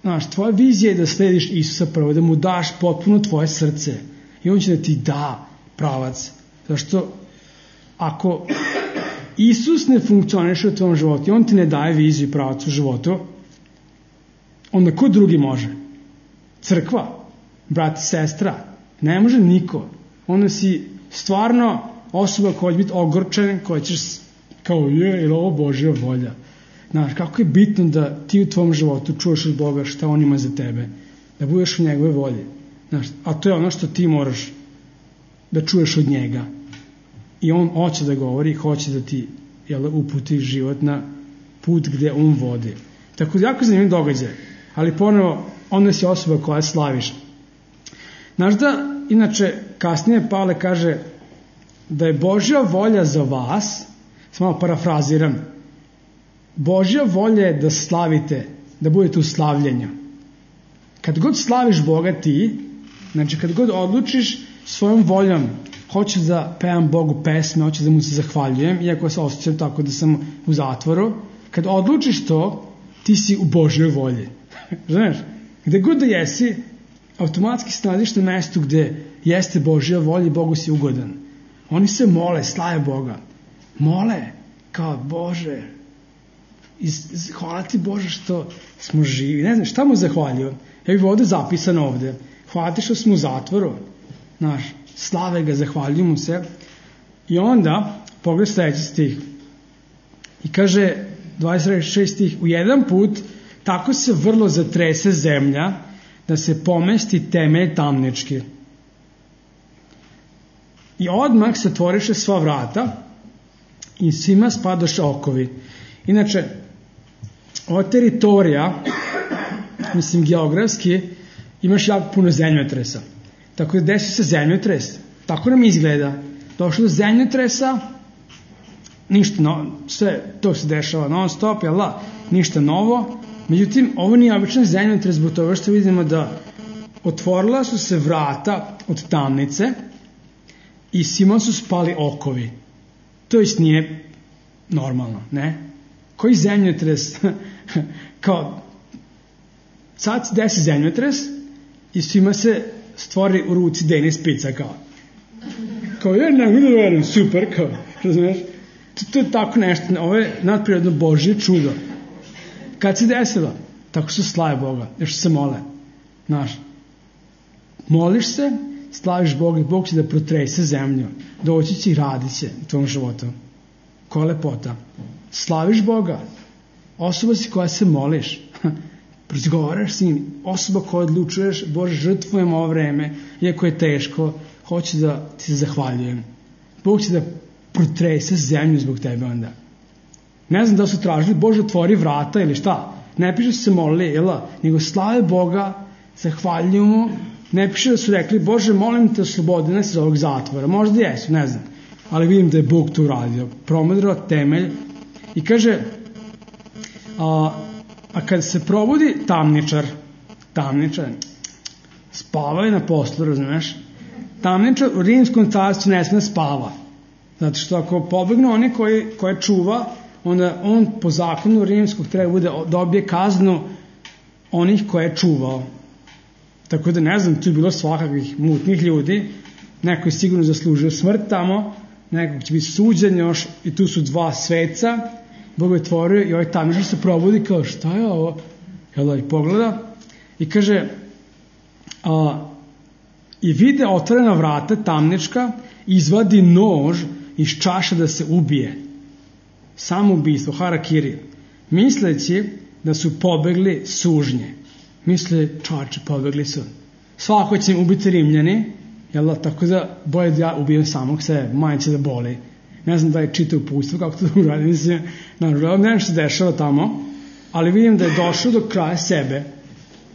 znaš, tvoja vizija je da slediš Isusa prvo, da mu daš potpuno tvoje srce i on će da ti da pravac. Zašto ako Isus ne funkcioniše u tvojom životu i on ti ne daje viziju i pravac u životu, onda ko drugi može? Crkva, brat i sestra, ne može niko. Onda si stvarno osoba koja će biti ogorčena, koja ćeš kao je, ili ovo Božja volja. Znaš, kako je bitno da ti u tvom životu čuješ od Boga šta on ima za tebe, da budeš u njegove volje. Znaš, a to je ono što ti moraš da čuješ od njega. I on hoće da govori, hoće da ti jel, uputi život na put gde on vodi. Tako da jako zanimljiv događaj. Ali ponovo, onda si osoba koja slaviš. Znaš da, inače, kasnije Pavle kaže da je Božja volja za vas, samo malo parafraziram, Božja volja je da slavite, da budete u slavljenju. Kad god slaviš Boga ti, znači kad god odlučiš svojom voljom, hoću da pevam Bogu pesme, hoću da mu se zahvaljujem, iako se osjećam tako da sam u zatvoru, kad odlučiš to, ti si u Božjoj volji. Znaš, gde god da jesi, automatski se nalaziš na mestu gde jeste Božja volja i Bogu si ugodan. Oni se mole, slave Boga. Mole, kao Bože, iz, hvala ti Bože što smo živi. Ne znam, šta mu zahvaljujem? Ja bih ovdje zapisan ovdje. Hvala ti što smo u zatvoru. Znaš, slave ga, zahvaljujem mu se. I onda, pogled sljedeći stih. I kaže, dvadeset šesti stih, u jedan put tako se vrlo zatrese zemlja da se pomesti temelj tamnički. I odmah se otvoriše sva vrata i svima spadoše okovi. Inače, ova teritorija, mislim geografski, imaš jako puno zemljotresa. Tako da desi se zemljotres. Tako nam izgleda. Došlo do zemljotresa, ništa novo, sve to se dešava non stop, jel da? Ništa novo. Međutim, ovo nije običan zemljotres, zbog toga što vidimo da otvorila su se vrata od tamnice i svima su spali okovi. To jest nije normalno, ne? Koji zemljotres? Kao, sad se desi zemljotres i svima se stvori u ruci Denis Pica, kao. kao ja ne mogu da verujem, super, kao, razumiješ? To, to je tako nešto, ovo je nadprirodno Božje čudo. Kad se desilo? Tako što slave Boga, jer što se mole. Znaš, moliš se, slaviš Boga i Bog će da protrese zemlju. Doći će i radit će u tvom životu. Koja lepota. Slaviš Boga. Osoba si koja se moliš. Razgovaraš s njim. Osoba koja odlučuješ, Bože, žrtvujem ovo vreme, iako je teško, hoću da ti se zahvaljujem. Bog će da protrese zemlju zbog tebe onda. Ne znam da su tražili, Bože, otvori vrata ili šta. Ne piše da su se molili, jela, nego slave Boga, zahvaljuju mu. Ne piše da su rekli, Bože, molim te, oslobodi nas iz ovog zatvora. Možda jesu, ne znam. Ali vidim da je Bog to uradio. Promodrao temelj i kaže, a, a kad se probudi tamničar, tamničar, spava je na poslu, razumeš? Tamničar u rimskom carstvu ne sme da spava. Zato što ako pobegnu oni koji, koje čuva, onda on po zakonu rimskog treba bude, dobije kaznu onih koje je čuvao. Tako da ne znam, tu je bilo svakakvih mutnih ljudi, neko je sigurno zaslužio smrt tamo, nekog će biti suđen još i tu su dva sveca, Bog je otvorio i ovaj tamničar se probudi kao šta je ovo? Jel, i pogleda i kaže a, i vide otvorena vrata tamnička, izvadi nož iz čaše da se ubije. Samoubistvo, harakiri, misleći da su pobegli sužnje. Misle, čače, pobegli su. Svako će im ubiti Rimljani, jel, tako da bolje da ja ubijem samog sebe, manje će da boli. Ne znam da je čitao uputstvo, kako to uradim, mislim, naravno, ne znam što se dešava tamo, ali vidim da je došao do kraja sebe.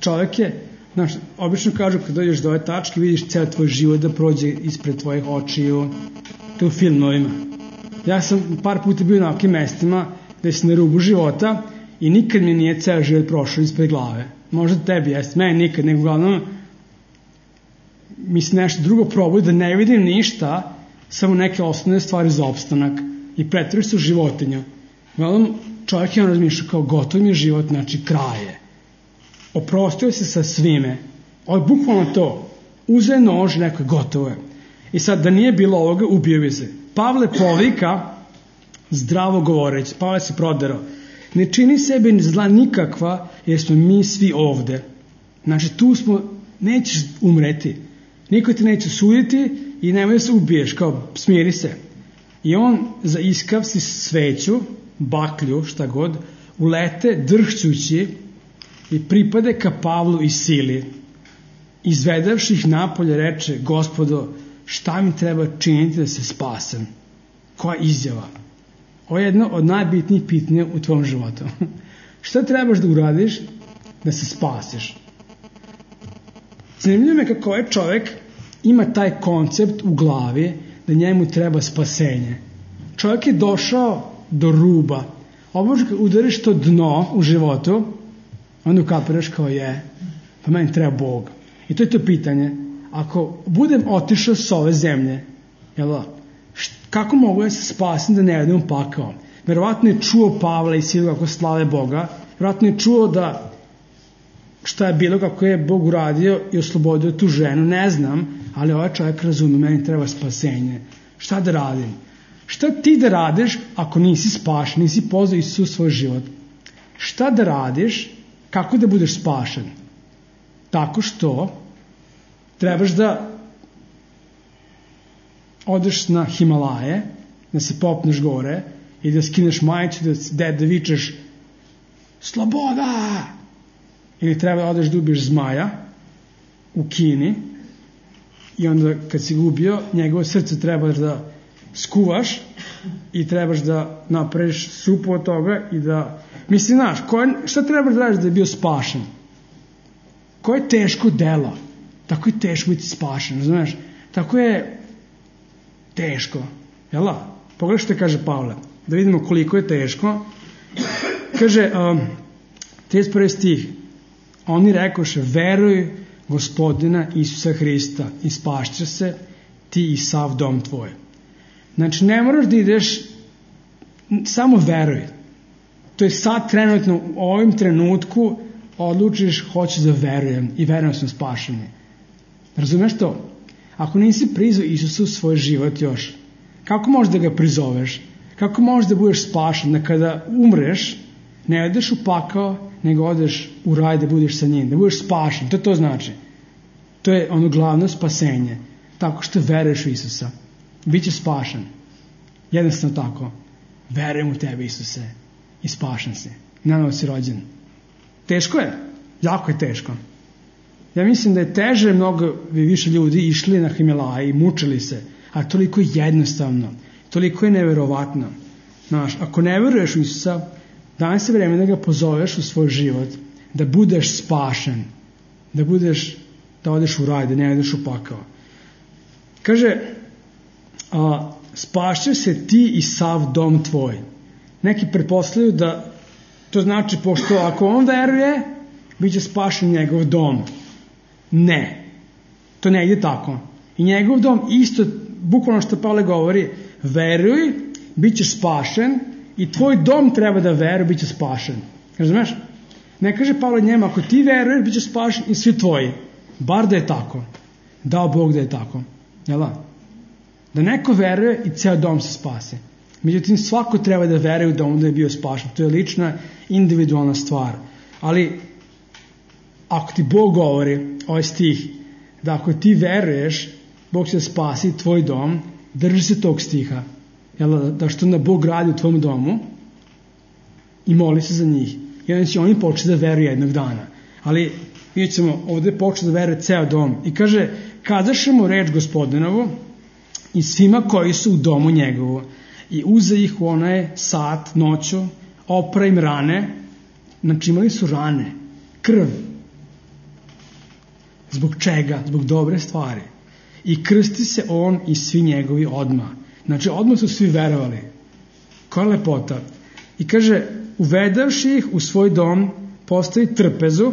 Čovjek je, znaš, obično kažu kad dođeš do ove tačke, vidiš ceo tvoj život da prođe ispred tvojih očiju, to u filmovima. Ja sam par puta bio na ovakvim mestima gde si na rubu života i nikad mi nije ceo život prošao ispred glave. Možda tebi jeste, meni nikad, nego uglavnom mi se nešto drugo probuje da ne vidim ništa, samo neke osnovne stvari za opstanak i pretvori se u životinju. Uglavnom čovjek je on razmišljao kao gotov mi je život, znači kraje. Oprostio se sa svime. Ovo je bukvalno to. Uze nož, neko je gotovo je. I sad da nije bilo ovoga, ubio bi se. Pavle povika, zdravo govoreći, Pavle se proderao. Ne čini sebi zla nikakva, jer smo mi svi ovde. Znači, tu smo, nećeš umreti. Niko te neće suditi i nemoj da se ubiješ, kao smiri se. I on za iskav si sveću, baklju, šta god, ulete drhćući i pripade ka Pavlu i sili. Izvedavši ih napolje reče, Gospodo, šta mi treba činiti da se spasem? Koja izjava? Ovo je jedno od najbitnijih pitanja u tvom životu. Šta trebaš da uradiš da se spasiš? Zanimljivo je kako ovaj čovjek ima taj koncept u glavi da njemu treba spasenje. Čovjek je došao do ruba. Obože kad udariš to dno u životu, onda ukapiraš kao je, pa meni treba Bog. I to je to pitanje. Ako budem otišao s ove zemlje, jel, kako mogu ja se spasim da ne idem u pakao? Verovatno je čuo Pavla i Silu kako slave Boga, verovatno je čuo da šta je bilo, kako je Bog uradio i oslobodio tu ženu, ne znam, ali ovaj čovjek razume, meni treba spasenje. Šta da radim? Šta ti da radiš ako nisi spašen, nisi pozvao Isusa u svoj život? Šta da radiš, kako da budeš spašen? Tako što trebaš da odeš na Himalaje, da se popneš gore i da skineš majicu, da, da, da vičeš sloboda! Ili treba da odeš da ubiješ zmaja u Kini i onda kad si gubio, njegovo srce trebaš da skuvaš i trebaš da napraviš supu od toga i da... Mislim, znaš, šta trebaš da radiš da je bio spašen? Koje je teško delo? Tako je teško biti spašen, znaš? Tako je teško. Jela? Pogledaj što kaže Pavle. Da vidimo koliko je teško. Kaže, um, trideset prvi stih. Oni rekoše, veruj Gospodina Isusa Hrista i spašće se ti i sav dom tvoj. Znači, ne moraš da ideš, samo veruj. To je sad trenutno, u ovim trenutku odlučiš, hoću da verujem i verujem sam spašeni. Razumeš to? Ako nisi prizvao Isusa u svoj život još, kako možeš da ga prizoveš? Kako možeš da budeš spašen? Da kada umreš, ne odeš u pakao, nego odeš u raj da budeš sa njim, da budeš spašen. To to znači. To je ono glavno spasenje. Tako što veruješ u Isusa. Biće spašen. Jednostavno tako. Verujem u tebe, Isuse. I spašen si. Nanovo si rođen. Teško je. Jako je teško. Ja mislim da je teže, mnogo više ljudi išli na Himalaje i mučili se. A toliko je jednostavno. Toliko je neverovatno. Znaš, ako ne veruješ u Isusa, danas je vreme da ga pozoveš u svoj život, da budeš spašen, da budeš, da odeš u raj, da ne odeš u pakao. Kaže, a, spašće se ti i sav dom tvoj. Neki pretpostavljaju da to znači, pošto ako on veruje, bit će spašen njegov dom. Ne. To ne ide tako. I njegov dom isto, bukvalno što Pavle govori, veruj, bit ćeš spašen i tvoj dom treba da veruje, bit će spašen. Razumeš? Ne kaže Pavle njema, ako ti veruješ, bit ćeš spašen i svi tvoji. Bar da je tako. Dao Bog da je tako. Jel da? Da neko veruje i ceo dom se spase. Međutim, svako treba da veruje da on da je bio spašen. To je lična, individualna stvar. Ali, ako ti Bog govori, ovaj stih, da ako ti veruješ, Bog će spasi tvoj dom, drži se tog stiha. Jel da? Da što onda Bog radi u tvom domu i moli se za njih. I onda će oni početi da veruju jednog dana. Ali, vidjet ćemo, ovdje početi da veruje ceo dom. I kaže, kazašemo reč Gospodinovu i svima koji su u domu njegovu. I uze ih u onaj sat, noću, opra im rane. Znači imali su rane, krv. Zbog čega? Zbog dobre stvari. I krsti se on i svi njegovi odmah. Znači odmah su svi verovali. Koja lepota. I kaže, uvedavši ih u svoj dom, postavi trpezu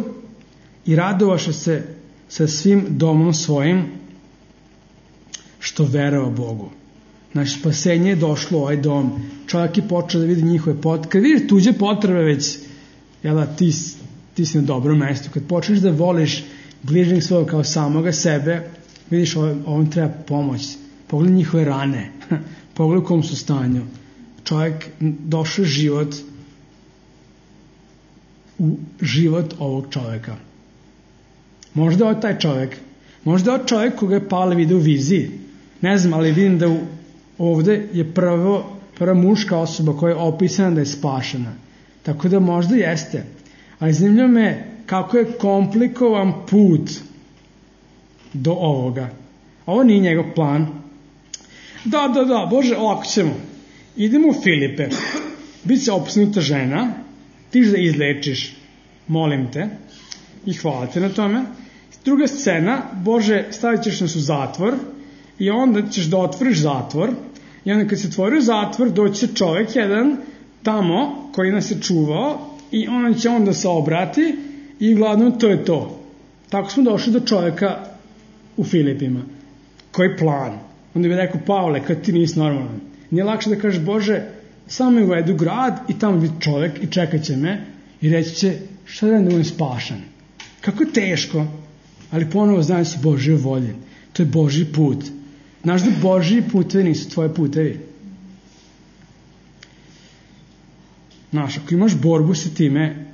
i radovaše se sa svim domom svojim što verovao Bogu. Znači spasenje je došlo u ovaj dom. Čovjek je počeo da vidi njihove potrebe. Kad vidiš tuđe potrebe već, jel da, ti, ti si na dobrom mjestu. Kad počneš da voliš bližnjeg svojeg kao samoga sebe, vidiš ovom, ovom treba pomoć. Pogledaj njihove rane. Pogledaj u kom su stanju. Čovjek došao život u život ovog čovjeka. Možda je taj čovjek. Možda je čovjek koga je Pavle vidio u viziji. Ne znam, ali vidim da u, ovdje je prvo, prva muška osoba koja je opisana da je spašena. Tako da možda jeste. Ali zanimljivo me kako je komplikovan put do ovoga. Ovo nije njegov plan. Da, da, da, Bože, ovako ćemo. Idemo u Filipe. Biće opsnuta žena. Ti da izlečiš. Molim te. I hvala te na tome. Druga scena. Bože, stavit ćeš nas u zatvor. I onda ćeš da otvoriš zatvor. I onda kad se otvori zatvor, doći će čovjek jedan tamo koji nas je čuvao. I on će onda se obrati. I uglavnom to je to. Tako smo došli do čovjeka u Filipima. Koji plan? Onda bi rekao, Pavle, kad ti nisi normalan. Nije lakše da kažeš, Bože, samo me uvedu u grad i tamo biti čovjek i čekat će me i reći će, šta da budem spašan? Kako je teško, ali ponovo znaju su Božje volje. To je Božji put. Znaš da Božji putevi nisu tvoje putevi. Znaš, ako imaš borbu sa time,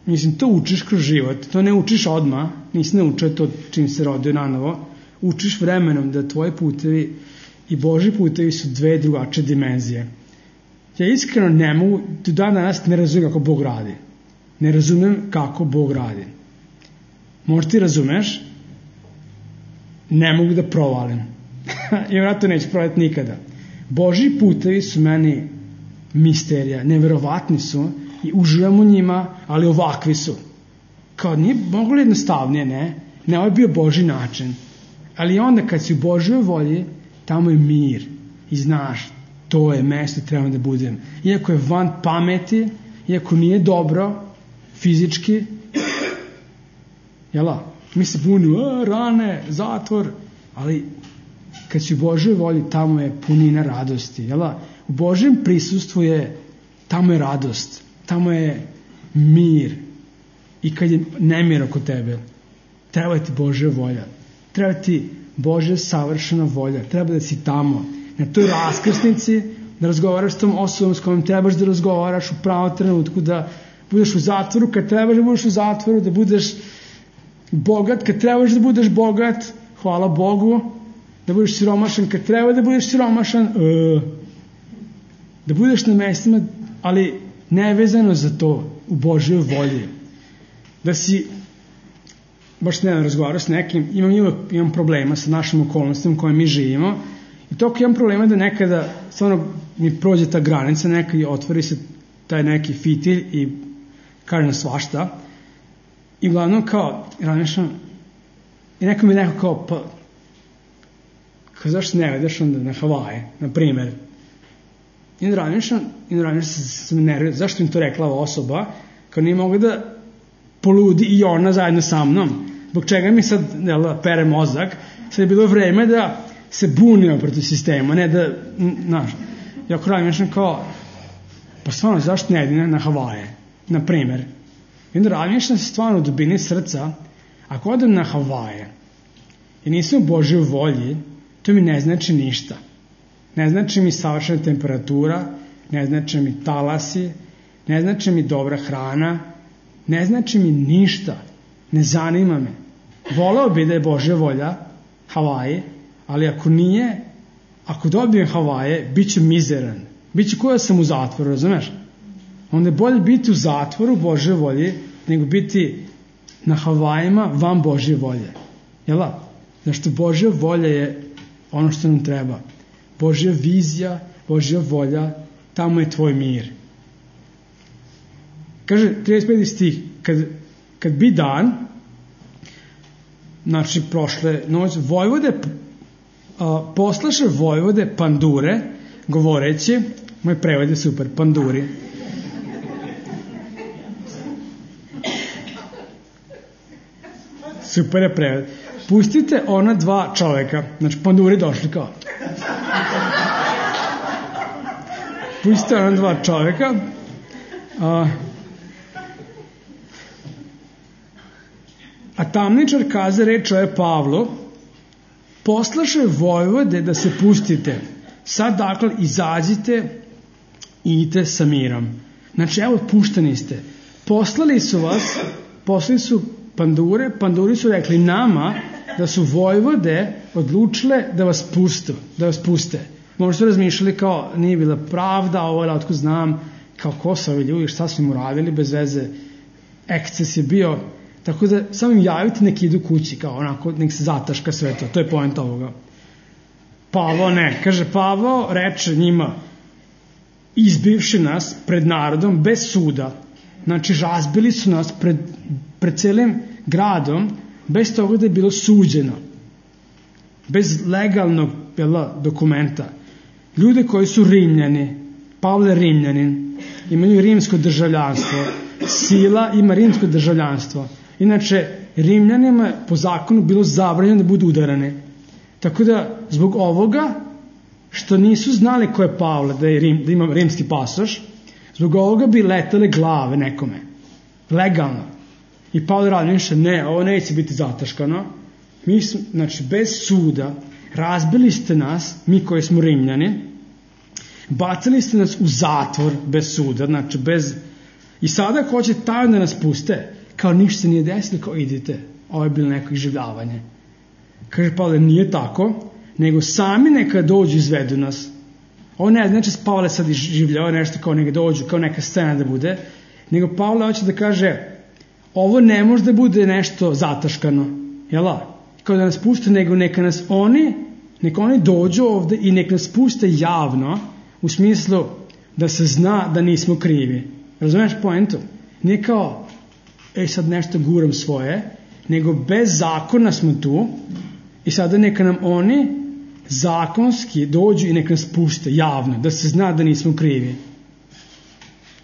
mislim, to učiš kroz život, to ne učiš odmah, nisi naučio to čim se rodio na novo, učiš vremenom da tvoji putevi i Božji putevi su dve drugačije dimenzije. Ja iskreno ne mogu, do dan danas ne razumijem kako Bog radi. Ne razumem kako Bog radi. Možda ti razumeš, ne mogu da provalim. I vratno neću provaliti nikada. Božji putevi su meni misterija, neverovatni su i uživam u njima, ali ovakvi su. Kao nije moglo jednostavnije, ne? Ne, ovo je bio Božji način. Ali onda kad si u Božjoj volji, tamo je mir. I znaš, to je mesto treba da budem. Iako je van pameti, iako nije dobro, fizički, jela, mi se bunimo, rane, zatvor, ali kad si u Božjoj volji, tamo je punina radosti, jela. U Božjem prisustvu je, tamo je radost, tamo je mir. I kad je nemir oko tebe, treba ti Božja volja, treba ti Božja savršena volja. Treba da si tamo, na toj raskrsnici, da razgovaraš s tom osobom s kojom trebaš da razgovaraš u pravom trenutku, da budeš u zatvoru kad trebaš da budeš u zatvoru, da budeš bogat kad trebaš da budeš bogat, hvala Bogu, da budeš siromašan kad treba da budeš siromašan, uh, da budeš na mestima, ali nevezano za to, u Božjoj volji. Da si, baš ne razgovarao s nekim, imam, imam problema sa našim okolnostima u kojima mi živimo i toliko imam problema da nekada stvarno mi prođe ta granica, nekada otvori se taj neki fitilj i kaže na svašta i uglavnom kao razmišljam i neko mi neko kao pa kao zašto ne vedeš onda na Havaje, na primjer. I onda razmišljam i onda razmišljam se, se me nervira, zašto mi to rekla ova osoba, kao nije mogla da poludi i ona zajedno sa mnom, zbog čega mi sad jel, pere mozak, sad je bilo vreme da se bunimo protiv sistema, ne da, znaš, ja ako razmišljam kao, pa stvarno, zašto ne idem na Havaje, na primjer. I onda razmišljam se stvarno u dubini srca, ako odem na Havaje i nisam u Božjoj volji, to mi ne znači ništa. Ne znači mi savršena temperatura, ne znači mi talasi, ne znači mi dobra hrana, ne znači mi ništa, ne zanima me. Voleo bi da je Božja volja Havaji, ali ako nije, ako dobijem Havaje, bit ću mizeran. Biće ko da sam u zatvoru, razumeš? Onda je bolje biti u zatvoru Božje volje, nego biti na Havajima van Božje volje. Jel' da? Zašto Božja volja je ono što nam treba. Božja vizija, Božja volja, tamo je tvoj mir. Kaže, trideset peti stih, kad, kad bi dan, znači prošle noć, Vojvode, a, poslaše Vojvode pandure, govoreći, moj prevod je super, panduri. Super je prevod. Pustite ona dva čoveka, znači panduri došli kao. Pustite ona dva čoveka, a, a tamničar kaze reč je Pavlu, poslaše Vojvode da se pustite. Sad dakle izađite i idite sa mirom. Znači evo pušteni ste. Poslali su vas, poslali su pandure, panduri su rekli nama da su Vojvode odlučile da vas pustu, da vas puste. Možda su razmišljali kao nije bila pravda, ovo je otko znam, kao ko su ovi ljudi, šta su im uradili, bez veze, eksces je bio, tako da samo im javite nek idu kući, kao onako, nek se zataška sve to, to je poenta ovoga. Pavao ne, kaže Pavao reče njima, izbivši nas pred narodom bez suda, znači razbili su nas pred, pred celim gradom, bez toga da je bilo suđeno, bez legalnog jela, dokumenta. Ljude koji su Rimljani, Pavle je Rimljanin, imaju rimsko državljanstvo, Sila ima rimsko državljanstvo. Inače, Rimljanima po zakonu bilo zabranjeno da budu udarane. Tako da, zbog ovoga, što nisu znali ko je Pavle, da, je rim, da ima rimski pasoš, zbog ovoga bi letale glave nekome. Legalno. I Pavle razmišlja, ne, ovo neće biti zataškano. Mi smo, znači, bez suda, razbili ste nas, mi koji smo Rimljani, bacili ste nas u zatvor bez suda, znači bez... I sada ako hoće tajno da nas puste, kao ništa se nije desilo, kao idite, ovo je bilo neko iživljavanje. Kaže Pavle, nije tako, nego sami neka dođu izvedu nas. Ovo ne znači Pavle sad iživljava nešto kao neka dođu, kao neka scena da bude, nego Pavle hoće da kaže, ovo ne može da bude nešto zataškano, jel'a? Kao da nas puste, nego neka nas oni, neka oni dođu ovde i neka nas puste javno, u smislu da se zna da nismo krivi. Razumeš poentu? Nije kao, ej sad nešto guram svoje, nego bez zakona smo tu i sada neka nam oni zakonski dođu i neka nas puste javno, da se zna da nismo krivi.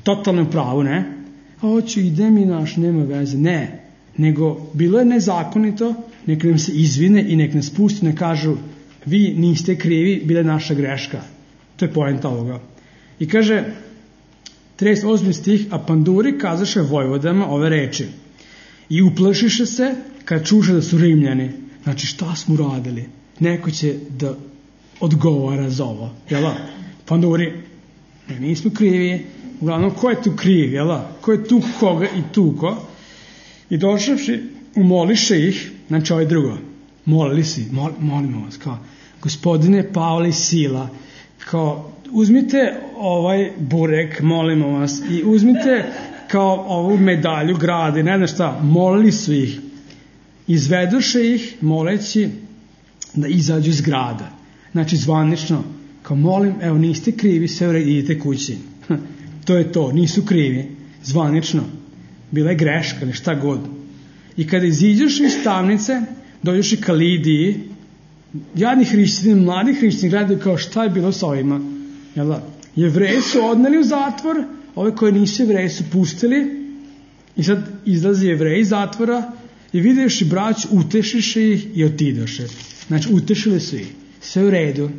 Totalno pravo, ne? A hoću, idem i naš, nema veze. Ne, nego bilo je nezakonito, neka nam se izvine i neka nas puste, ne kažu, vi niste krivi, bila je naša greška. To je poenta ovoga. I kaže, trideset osmi stih, a panduri kazaše vojvodama ove reči. I uplašiše se kad čuše da su Rimljani. Znači šta smo radili? neko će da odgovara za ovo, jel? Pa onda govori, ne, nismo krivi, uglavnom, ko je tu kriv, jel? Ko je tu koga i tuko? I došavši, umoliše ih, znači ovaj drugo, molili si, mol, molimo vas, kao, gospodine Pavle Sila, kao, uzmite ovaj burek, molimo vas, i uzmite kao ovu medalju grade, ne znam šta, molili su ih, izveduše ih, moleći da izađu iz grada. Znači, zvanično, kao molim, evo, niste krivi, sve ured, idite kući. To je to, nisu krivi, zvanično. Bila je greška ili šta god. I kada iziđeš iz tamnice, dođeš i ka Lidiji, jadni hrišćani, mladi hrišćani gledaju kao šta je bilo sa ovima. Jel da? Jevreji su odneli u zatvor, ove koje nisu Jevreji su pustili i sad izlazi Jevreji iz zatvora i vidješ i brać, utešiše ih i otidoše. Znači, utešili su ih. Sve u redu,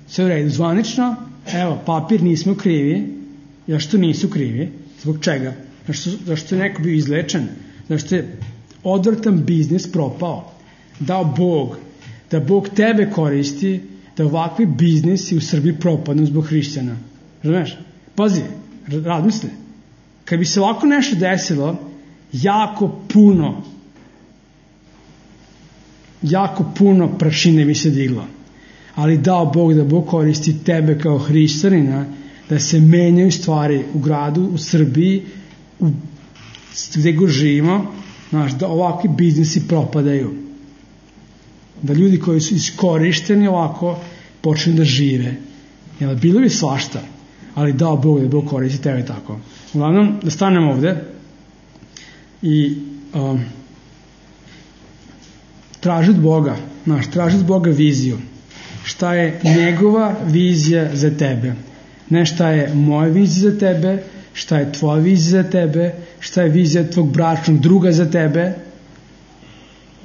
sve u redu. Zvanično, evo, papir, nismo krivi. Zašto nisu krivi? Zbog čega? Zašto, zašto je neko bio izlečen? Zašto je odvrtan biznis propao? Dao Bog, da Bog tebe koristi, da ovakvi biznisi u Srbiji propadnu zbog hrišćana. Razumeš? Pazi, razmisli. Kad bi se ovako nešto desilo, jako puno, jako puno prašine bi se diglo. Ali dao Bog da Bog koristi tebe kao hrišćanina, da se menjaju stvari u gradu, u Srbiji, u, gde go živimo, znaš, da ovakvi biznisi propadaju. Da ljudi koji su iskorišteni ovako počnu da žive. Jel, bilo bi svašta, ali dao Bog da Bog koristi tebe tako. Uglavnom, da stanemo ovde i um, traži od Boga, znaš, traži od Boga viziju. Šta je njegova vizija za tebe? Ne šta je moja vizija za tebe, šta je tvoja vizija za tebe, šta je vizija tvog bračnog druga za tebe,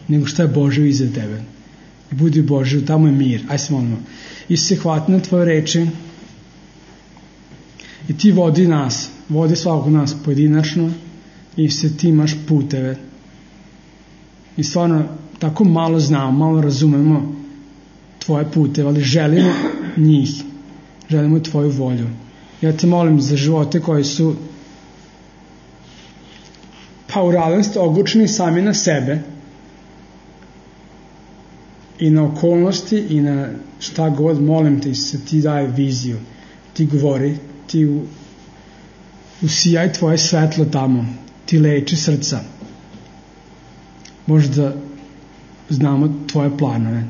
nego šta je Božja vizija za tebe. Budi Božju, tamo je mir. Aj se molimo. Isuse, hvati na tvoje reči i ti vodi nas, vodi svakog nas pojedinačno i se ti imaš puteve. I stvarno tako malo znamo, malo razumemo tvoje puteve, ali želimo njih. Želimo tvoju volju. Ja te molim za živote koji su pa u realnosti oglučeni sami na sebe i na okolnosti i na šta god, molim te se ti daje viziju, ti govori, ti u, usijaj tvoje svetlo tamo, ti leči srca. Možda znamo tvoje planove,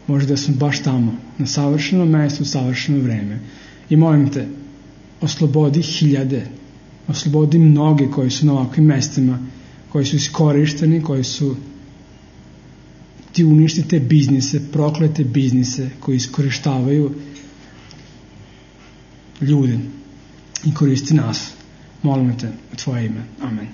možda smo baš tamo, na savršenom mestu, u savršeno vreme. I molim te, oslobodi hiljade, oslobodi mnoge koji su na ovakvim mestima, koji su iskorišteni, koji su ti uništi te biznise, proklete biznise koji iskorištavaju ljude i koristi nas. Molim te u tvoje ime. Amen.